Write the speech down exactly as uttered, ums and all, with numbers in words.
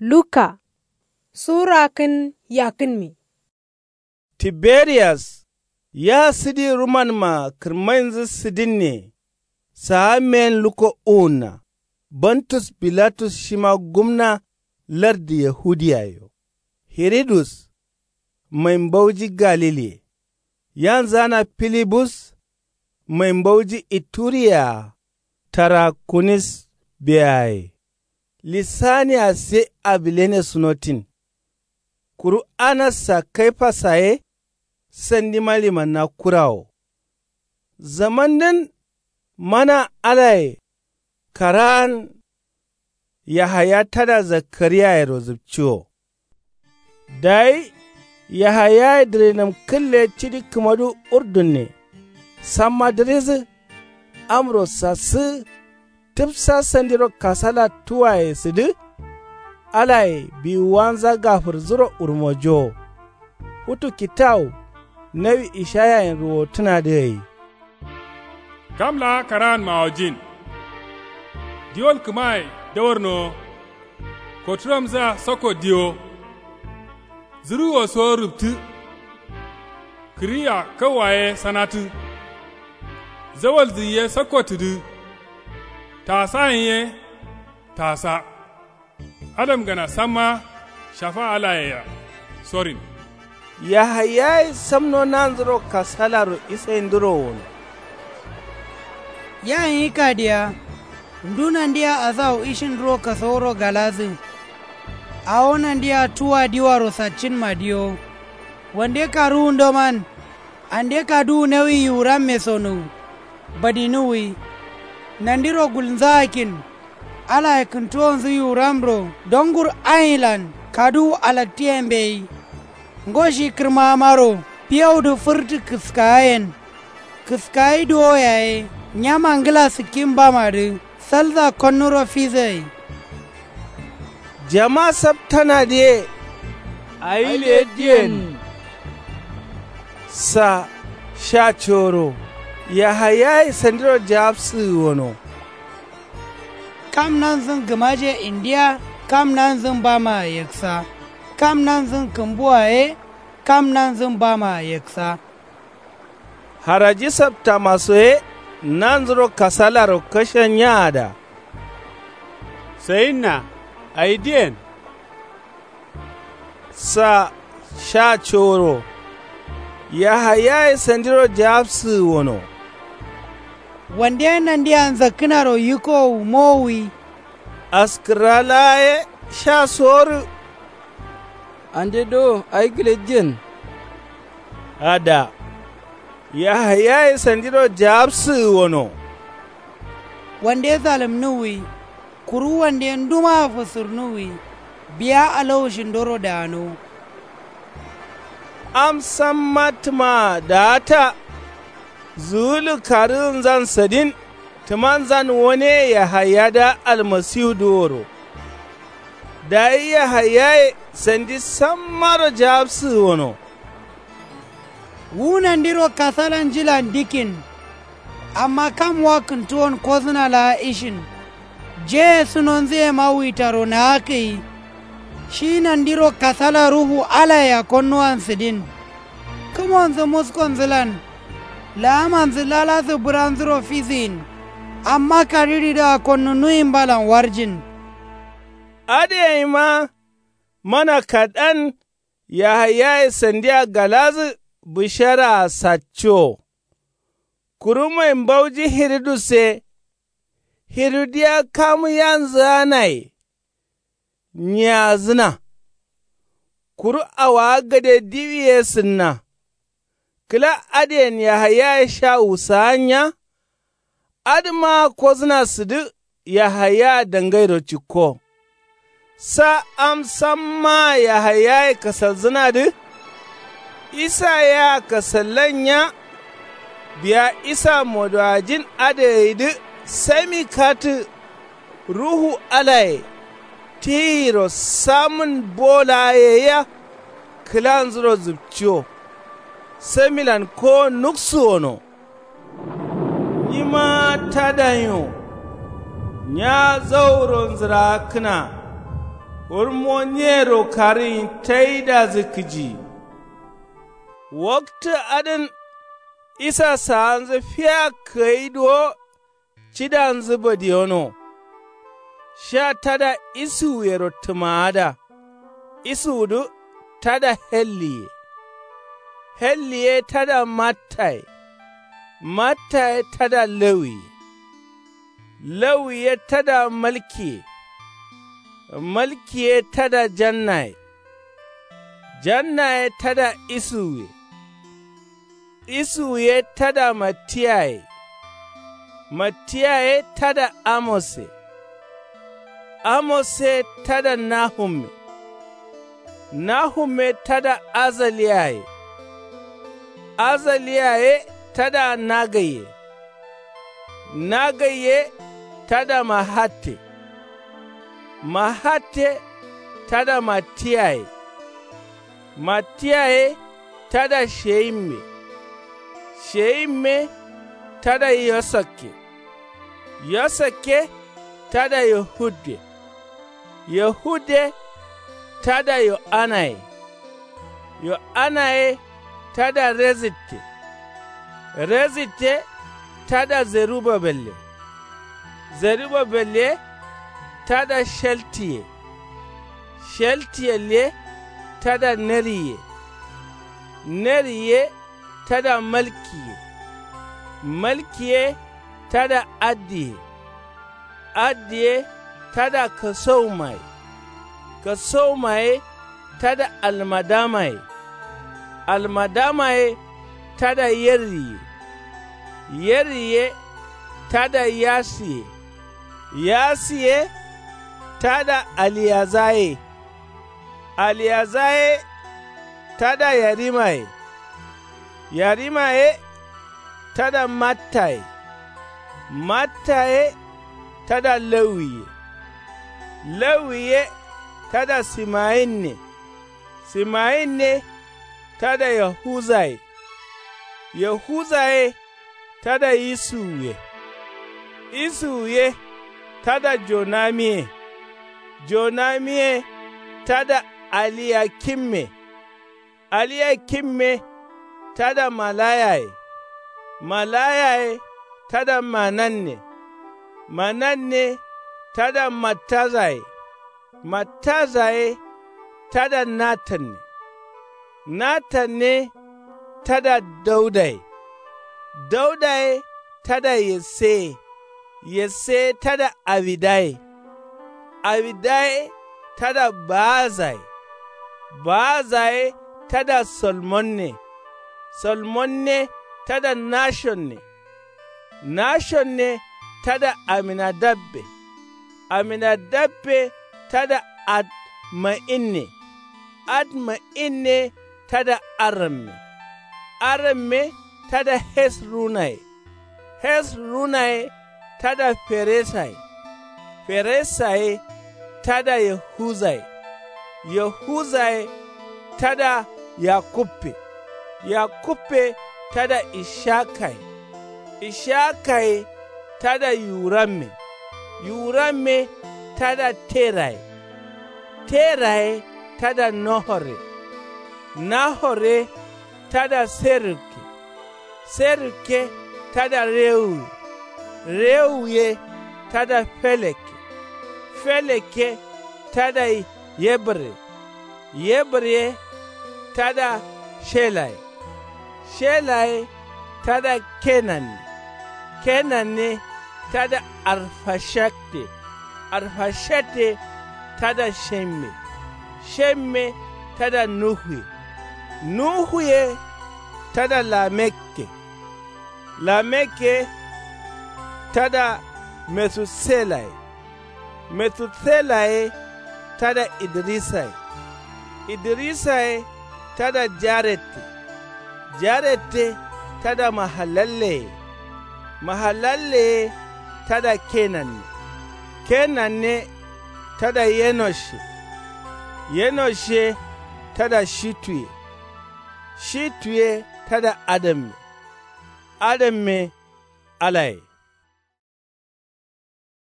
Luka sura kǝn yakkǝnmi. Tiberiyas ya sǝdi rumanma kǝrmainzǝ sǝdinne. Saa meyen lukko uwunna. Bantus bilatus shima gumna lardǝ yahudiyaye-o. Hiridus mai mbauji galiliye. Yanzana filibus mai mbauji ituriya-a. Tarakunis beyaye. Lisaniya sai abilene sunotin. Kuru anassa kaifasa ye sandima limanna kurawo. Zamandǝn mana alaye karaan yahaya tada zakariyayero zǝpciwo. Dayi yahayaye dǝrinǝm kǝlle cidi kǝmadu urdunne. Samma dǝrizǝ amro sassǝgǝ. Tǝfsa sandiro kasala tuwaye sǝdǝ. Alaye biwuwanza gafǝrzuro wurmojowo. Futu kitawu nawi ishayayen ruwotǝnadǝ gai. Kam laa karaan mawojin. Diwol kǝmaye dawarnowo. Koturamzǝa sakko diwo. Zǝruwo so rǝptǝ. Kǝriya kauwa ye sanatǝ. Zawalzǝyi ye sakko tǝdǝ. Tasayen ye tasa. Adamgana samma shafa alayea sorin. Yahayaye samno nanzuro kasalaro isainduro wono. Ya nyi kadiya ndu nandia asawu ishin duro kasawuro galadǝ. Awo nandia tuwa diwaro saccǝnma diyo. Wande karuwundoman ande kaduwu nawi yiwuramme sonuwu. Badinuwwi. Nandiro gulnzaakin. Alaye kǝntuwonzǝ yiwuramro dongur ailan kaduwu alaktǝye mbeyi. Ngo shi kǝrmamaro fiyawudǝ fǝrtǝ kǝskayen. Kǝskayi duwo yaye nyama ngla sǝkkin bamadǝ. Salza konnuro fizǝgai. Jama saptanadǝye. Ayi lediyen. Sa sha coro. Yahayaye sandiro jawabsǝgǝ wono. Kam nanzǝn gǝmaje indiya kam nanzǝn bamaa yeksa. Kam nanzǝn kǝmbua ye kam nanzǝn bamaa yeksa. Haraji saptamaso ye nanzuro kasalaro kashenyaada. Sayinna ayidiyen. Sa sha coro. Yahayaye sandiro jawabsǝgǝ wono. Wande nandia nzakkǝnaro yikkowu mowuwi. Askǝrra laa ye sha sorǝ. Ande dowo ayi gǝlejjen. Ada. Yahayaye sandiro jawabsǝgǝ wono. Wande salǝmnuwwi. Kuru wande ndumaa fǝsǝrnuwwi. Biya alawushindoro daanowo. Am samma tǝmaa daata. Zuwulu karǝgǝnzan sadin tǝmanzan wone yahayadǝa almasiwudǝ woro. Dayi yahayaye sandi sammaro jawabsǝgǝ wono. Wu nandiro kasalan jilan dikkin. Amma kam wa kǝntuwon kozǝna laa ishin. Jeye sunonzǝyema witaro naakǝyi. Shi nandiro kasala ruhu alayea konnuwan sǝdin. Kǝmonzǝ muskonzǝlan. Laamanzǝ laladǝ bǝranzuro fizǝyin. Amma kariridǝa konnunuwimbalan warjin. Adǝ yaima mana kadan. Yahayaye sandia galadǝ bǝsharaa saccowo. Kuru mai mbauji hiridus ye. Hirudiya kamu yanzǝganaye. Nyiyazǝna. Kuru awowa gade diwi ye sǝnna. Kǝla adǝyen yahayaye sha wusaanya. Adǝmaa kozǝna sǝdǝ yahaya dangairo cikko. Sa am sammaa yahayaye kasalzǝnadǝ. Isa yea kasallan nya. Biya isa modowajin adǝgaidǝ sami katǝ. Ruhu alaye tiyiro samǝn bo laa yeiya. Kǝlanzuro zǝpciwo. Samilan kowo nuksuwono. Nyima tadanyo. Nya zauro nzǝrakkǝna. Kurmo nyero karǝyin taidazǝ kǝji. Waktǝ adǝn isa saanzǝ fiya kǝgai duwo. Cidanzǝ badiyono. Sha tada isuwuyero tǝmaada. Isuwudǝ tada helliye. Helliye tada mattaye. Mattaye tada lawiye. Lawiye tada malkiye. Malkiye tada jannaye. Jannaye tada isuwuye. Isuwuye tada mattiyaye. Mattiyaye tada amose. Amose tada nahumme. Nahumme tada azaliyaye. Azaliyaye tada nagaiye. Nagaiye tada mahatte. Mahatte tada mattiyaye. Mattiyaye tada sheyimme. Sheyimme tada yosakke. Yosakke tada yohudde. Yohudde tada yo'anaye. Yo'anaye tada rezitte. Rezitte tada zerubabelle. Zerubabelle tada sheltiye. Sheltiyelle tada neriye. Neriye tada malkiye. Malkiye tada addiye. Addiye tada kasaumaye. Kasaumaye tada almadamaye. Almadamaye tada yerriye. Yerriye tada yasiye. Yasiye tada aliyazaye. Aliyazaye tada yarimaye. Yarimaye tada mattaye. Mattaye tada lawiye. Lawiye tada simayinne. Simayinne tada yahuzaye. Yahuzaye tada isuwuye. Isuwuye tada jonamiye. Jonamiye tada aliyakimme. Aliyakimme tada malayaye. Malayaye tada mananne. Mananne tada mattazaye. Mattazaye tada natanne. Natanne tada daudaye. Daudaye tada yesseye. Yesseye tada awidaye. Awidaye tada ba'azaye. Ba'azaye tada salmonne. Salmonne tada nashonne. Nashonne tada aminadabbe. Aminadabbe tada admayinne. Admayinne tada arramme. Arramme tada hesrunaye. Hesrunaye tada feresaye. Feresaye tada yahuzaye. Yahuzaye tada yakubbe. Yakubbe tada ishakaye. Ishakaye tada yuramme. Yuramme tada teraye. Teraye tada nahorre. Nahorre tada serrukke. Serrukke tada rewuye. Rewuye tada felekke. Felekke tada yebre. Yebre tada shelaye. Shelaye tada kenanne. Kenanne tada arfashadde. Arfashadde tada shemme. Shemme tada nuhuye. Nuhuye tada lamekke. Lamekke tada metuselaye. Metuselaye tada idirisaye. Idirisaye tada jarette. Jarette tada mahalalleye. Mahalalleye tada kenanne. Kenanne tada yenoshe. Yenoshe tada shituye. Shituye tada adamme. Adamme alaye.